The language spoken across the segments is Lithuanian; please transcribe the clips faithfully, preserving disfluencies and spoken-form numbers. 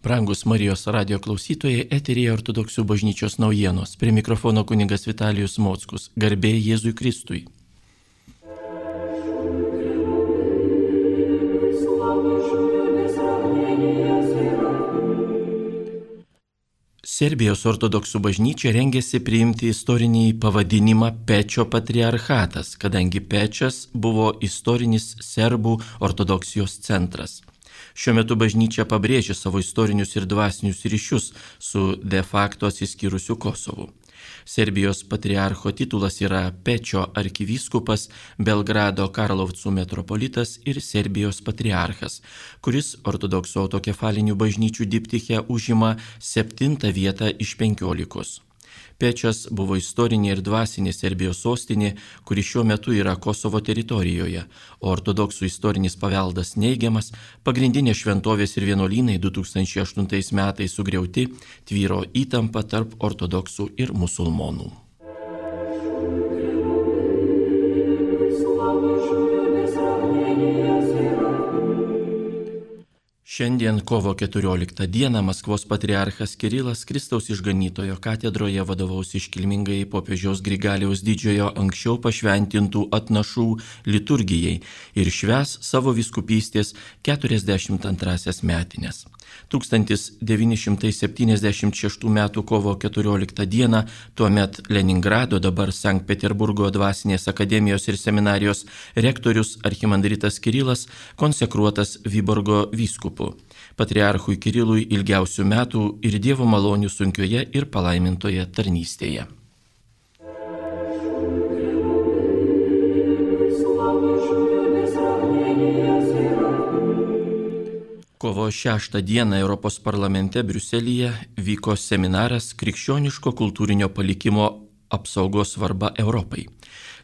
Brangus Marijos radio klausytojai, eteryje Ortodoksų bažnyčios naujienos. Prie mikrofono kunigas Vitalijus Mockus. Garbė Jėzui Kristui. Serbijos ortodoksų bažnyčia rengėsi priimti istorinį pavadinimą Pečio patriarchatas, kadangi Pečas buvo istorinis serbų ortodoksijos centras. Šiuo metu bažnyčia pabrėžia savo istorinius ir dvasinius ryšius su de facto atsiskyrusiu Kosovu. Serbijos patriarcho titulas yra Pečio arkivyskupas, Belgrado Karlovcų metropolitas ir Serbijos patriarchas, kuris ortodoksų autokefalinių bažnyčių diptiche užima septintą vietą iš penkiolikos. Pečas buvo istorinė ir dvasinė Serbijos sostinė, kuri šiuo metu yra Kosovo teritorijoje, o ortodoksų istorinis paveldas neigiamas, pagrindinės šventovės ir vienuolynai du tūkstančiai aštuntais metais sugriauti, tvyro įtampa tarp ortodoksų ir musulmonų. Šiandien kovo keturioliktą dieną Maskvos patriarchas Kirilas Kristaus išganytojo katedroje vadovaus iškilmingai popiežiaus Grigaliaus didžiojo anksčiau pašventintų atnašų liturgijai ir švęs savo vyskupystės keturiasdešimt antrąsias metines. tūkstantis devyni šimtai septyniasdešimt šeštų metų kovo keturioliktą dieną tuomet Leningrado, dabar Sankt Peterburgo dvasinės akademijos ir seminarijos rektorius archimandritas Kirilas konsekruotas Vyborgo vyskupu. Patriarchui Kirilui ilgiausių metų ir Dievo malonių sunkioje ir palaimintoje tarnystėje. Kovo šeštą dieną Europos parlamente Briuselyje vyko seminaras Krikščioniško kultūrinio palikimo apsaugos svarba Europai.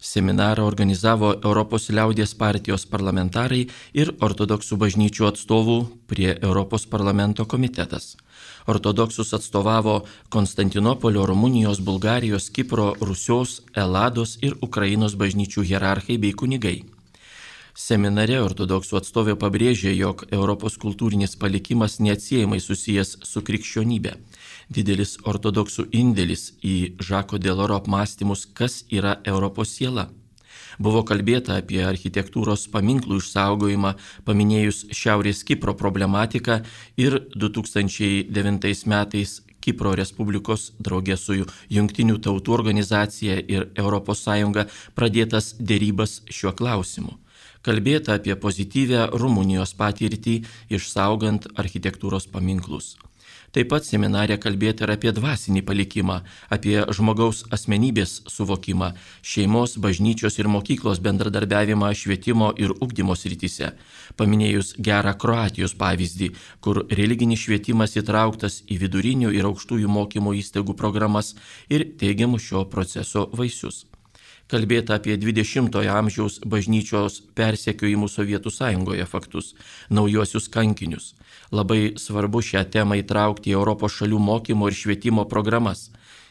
Seminarą organizavo Europos liaudies partijos parlamentarai ir ortodoksų bažnyčių atstovų prie Europos parlamento komitetas. Ortodoksus atstovavo Konstantinopolio, Rumunijos, Bulgarijos, Kipro, Rusios, Elados ir Ukrainos bažnyčių hierarchai bei kunigai. Seminare ortodoksų atstovė pabrėžė, jog Europos kultūrinis palikimas neatsiejamai susijęs su krikščionybė. Didelis ortodoksų indėlis į Žako Deloro apmąstymus, kas yra Europos siela. Buvo kalbėta apie architektūros paminklų išsaugojimą, paminėjus Šiaurės Kipro problematiką ir du tūkstančiai devintais metais Kipro Respublikos draugė su Jungtinių tautų organizacija ir Europos Sąjunga pradėtas dėrybas šiuo klausimu. Kalbėta apie pozityvę Rumunijos patirtį išsaugant architektūros paminklus. Taip pat seminare kalbėta ir apie dvasinį palikimą, apie žmogaus asmenybės suvokimą, šeimos, bažnyčios ir mokyklos bendradarbiavimą švietimo ir ugdymo srityse, paminėjus gerą Kroatijos pavyzdį, kur religinis švietimas įtrauktas į vidurinių ir aukštųjų mokymo įstaigų programas ir teigiamus šio proceso vaisius. Kalbėta apie dvidešimtojo amžiaus bažnyčios persekiojimų Sovietų Sąjungoje faktus, naujuosius kankinius. Labai svarbu šią temą įtraukti į Europos šalių mokymo ir švietimo programas.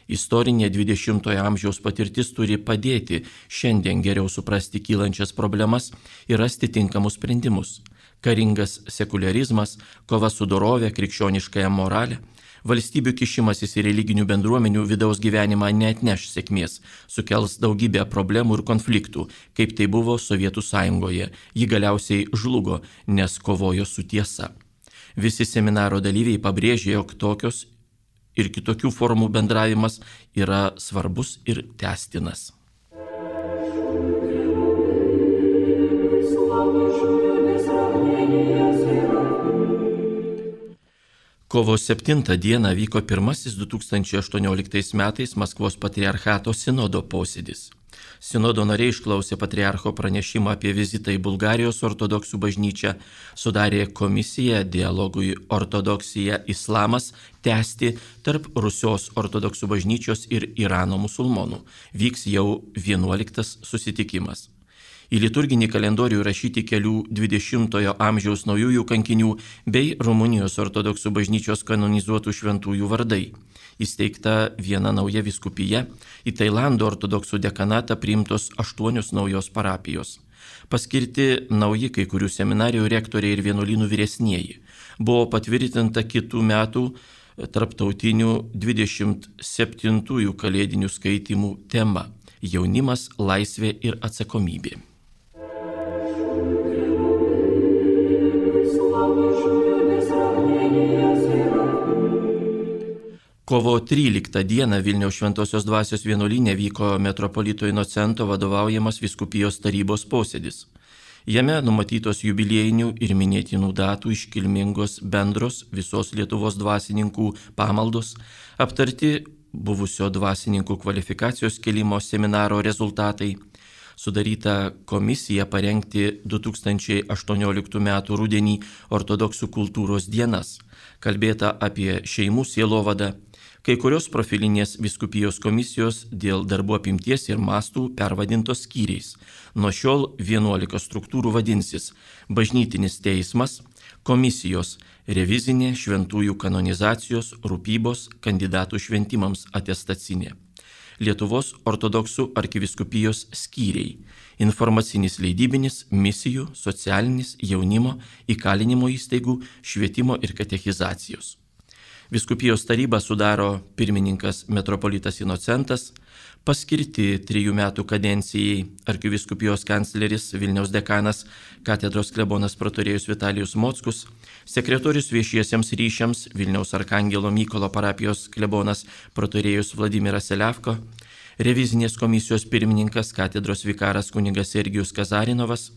Istorinė dvidešimtojo amžiaus patirtis turi padėti šiandien geriau suprasti kylančias problemas ir rasti tinkamus sprendimus. Karingas sekularizmas, kova su dorove, krikščioniškąją moralę, valstybių kišimasis į religinių bendruomenių vidaus gyvenimą neatneš sėkmės, sukels daugybę problemų ir konfliktų, kaip tai buvo Sovietų Sąjungoje. Ji galiausiai žlugo, nes kovojo su tiesa. Visi seminaro dalyviai pabrėžė, jog tokios ir kitokių formų bendravimas yra svarbus ir tęstinas. Kovo septintą dieną vyko pirmasis du tūkstančiai aštuonioliktais metais Maskvos patriarchato sinodo posėdis. Sinodo nariai išklausė patriarcho pranešimą apie vizitą į Bulgarijos ortodoksų bažnyčią, sudarė komisiją dialogui ortodoksija islamas tęsti tarp Rusijos ortodoksų bažnyčios ir Irano musulmonų. Vyks jau vienuoliktas susitikimas. Į liturginį kalendorių rašyti kelių dvidešimtojo amžiaus naujųjų kankinių bei Rumunijos ortodoksų bažnyčios kanonizuotų šventųjų vardai. Įsteigta viena nauja vyskupija, į Tailando ortodoksų dekanatą priimtos aštuonios naujos parapijos. Paskirti nauji kai kurių seminarijų rektoriai ir vienuolynų vyresnieji. buvo patvirtinta kitų metų tarptautinių dvidešimt septintųjų kalėdinių skaitymų tema – jaunimas, laisvė ir atsakomybė. Kovo tryliktą dieną Vilniaus Šventosios Dvasios vienuolyne vyko metropolito Inocento vadovaujamas vyskupijos tarybos posėdis. Jame numatytos jubiliejinių ir minėtinų datų iškilmingos bendros visos Lietuvos dvasininkų pamaldos, aptarti buvusio dvasininkų kvalifikacijos kėlimo seminaro rezultatai, sudaryta komisija parengti du tūkstančiai aštuonioliktų metų rudenį ortodoksų kultūros dienas, kalbėta apie šeimų sielovadą, kai kurios profilinės vyskupijos komisijos dėl darbų apimties ir mastų pervadintos skyriais. Nuo šiol vienuolika struktūrų vadinsis bažnytinis teismas, komisijos, revizinė, šventųjų kanonizacijos, rūpybos, kandidatų šventimams atestacinė. Lietuvos ortodoksų arkivyskupijos skyriai, informacinis leidybinis, misijų, socialinis, jaunimo, įkalinimo įstaigų, švietimo ir katechizacijos. Vyskupijos tarybą sudaro pirmininkas metropolitas Inocentas, paskirti trijų metų kadencijai arkivyskupijos kancleris Vilniaus dekanas katedros klebonas protorėjus Vitalijus Mockus, sekretorius viešiesiems ryšiams Vilniaus Arkangelo Mykolo parapijos klebonas protorėjus Vladimiras Selevko, revizinės komisijos pirmininkas katedros vikaras kunigas Sergijus Kazarinovas,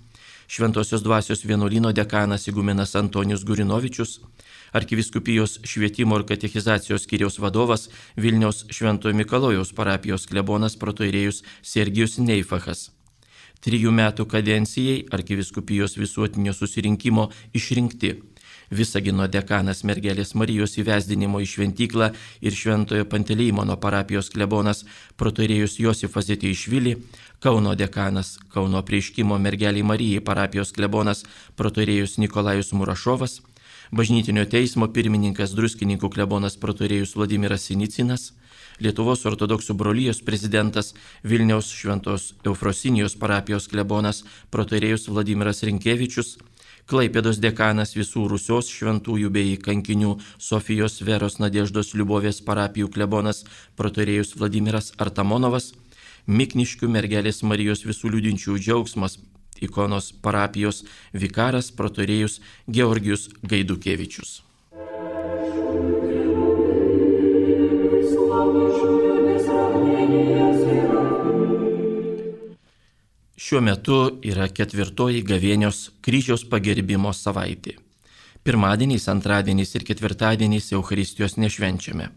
Šventosios Dvasios vienuolyno dekanas igumenas Antonijus Gurinovičius, arkivyskupijos švietimo ir katechizacijos skyriaus vadovas Vilniaus Šventojo Mikalojaus parapijos klebonas protoirėjus Sergijus Neifachas. Trijų metų kadencijai arkivyskupijos visuotinio susirinkimo išrinkti Visagino dekanas Mergelės Marijos įvesdinimo į šventyklą ir Šventojo Panteleimono parapijos klebonas protoirėjus Josifas Zeteišvili, Kauno dekanas Kauno Apreiškimo Mergelei Marijai parapijos klebonas protoirėjus Nikolajus Murašovas, Bažnytinio teismo pirmininkas Druskininkų klebonas protoirėjus Vladimiras Sinicinas, Lietuvos ortodoksų brolijos prezidentas Vilniaus Šventos Eufrosinijos parapijos klebonas protoirėjus Vladimiras Rinkevičius, Klaipėdos dekanas Visų Rusios šventųjų bei kankinių Sofijos Veros Nadeždos Liubovės parapijų klebonas protoirėjus Vladimiras Artamonovas, Mikniškių Mergelės Marijos Visų liudinčių džiaugsmas ikonos parapijos vikaras protoirėjus Georgijus Gaidukevičius. Šiuo metu yra ketvirtoji gavėnios kryžiaus pagerbimo savaitė. Pirmadieniais, antradieniais ir ketvirtadieniais Eucharistijos nešvenčiame.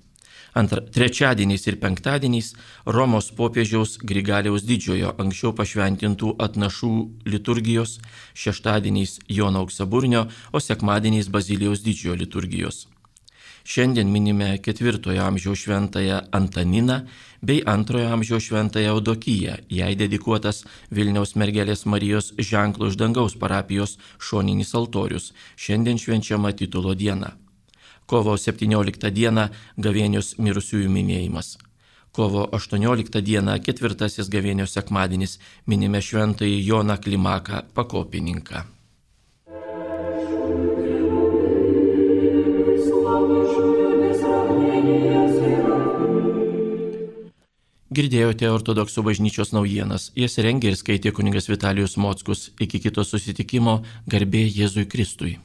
Antra, trečiadieniais ir penktadieniais Romos popiežiaus Grigaliaus didžiojo anksčiau pašventintų atnašų liturgijos, šeštadieniais Jono Auksaburnio, o sekmadieniais Bazilijaus didžiojo liturgijos. Šiandien minime ketvirtojo amžiaus šventąją Antaniną bei antrojo amžiaus šventąją Eudokiją, jai dedikuotas Vilniaus Mergelės Marijos ženklo iš dangaus parapijos šoninis altorius, šiandien švenčiama titulo diena. Kovo septynioliktą dieną gavėnios mirusiųjų minėjimas. Kovo aštuonioliktą dieną ketvirtasis gavėnios sekmadienis minime šventąjį Joną Klimaką pakopininką. Girdėjote ortodoksų bažnyčios naujienas, jas rengė ir skaitė kunigas Vitalijus Mockus. Iki kito susitikimo, garbė Jėzui Kristui.